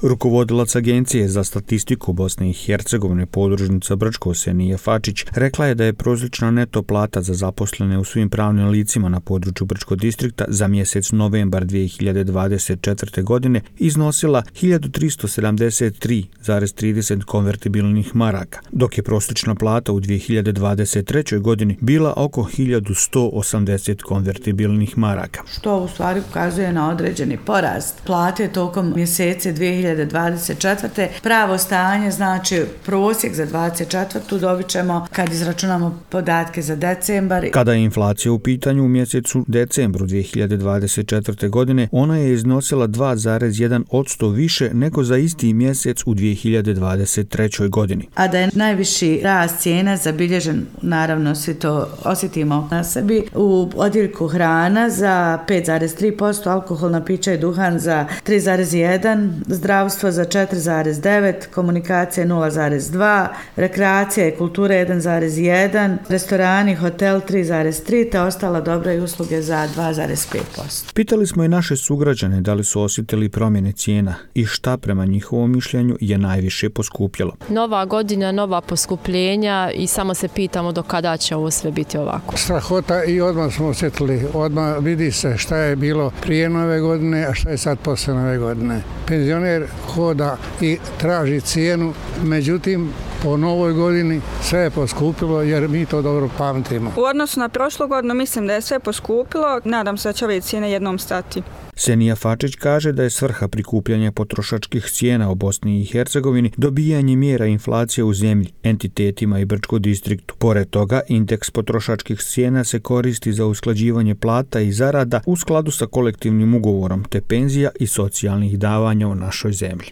Rukovodilac Agencije za statistiku Bosne i Hercegovine podružnica Brčko Senija Fačić rekla je da je prosječna neto plata za zaposlene u svim pravnim licima na području Brčkog distrikta za mjesec novembar 2024. godine iznosila 1373,30 konvertibilnih maraka, dok je prosječna plata u 2023. godini bila oko 1180 konvertibilnih maraka. Što u stvari ukazuje na određeni porast plate tokom mjesece 2024. Pravo stanje, znači prosjek za 2024. dobit ćemo kad izračunamo podatke za decembar. Kada je inflacija u pitanju u mjesecu decembru 2024. godine, ona je iznosila 2,1% više nego za isti mjesec u 2023. godini. A da je najviši rast cijena zabilježen, naravno svi to osjetimo na sebi, u odjeljku hrana za 5,3%, alkoholna pića i duhan za 3,1%, zdravstvo za 4,9%, komunikacija 0,2%, rekreacija i kultura 1,1%, restorani, hotel 3,3%, te ostala dobra i usluge za 2,5%. Pitali smo i naše sugrađane da li su osjetili promjene cijena i šta prema njihovom mišljenju je najviše poskupjelo. Nova godina, nova poskupljenja i samo se pitamo do kada će ovo sve biti ovako. Strahota i odmah smo osjetili, odmah vidi se šta je bilo prije nove godine, a šta je sad posle nove godine. Penzioner hoda i traži cijenu, međutim po novoj godini sve je poskupilo jer mi to dobro pamtimo. U odnosu na prošlu godinu mislim da je sve poskupilo, nadam se da će ove cijene jednom stati. Senija Fačić kaže da je svrha prikupljanja potrošačkih cijena u Bosni i Hercegovini dobijanje mjera inflacije u zemlji, entitetima i Brčkom distriktu. Pored toga, indeks potrošačkih cijena se koristi za usklađivanje plata i zarada u skladu sa kolektivnim ugovorom te penzija i socijalnih davanja u našoj zemlji.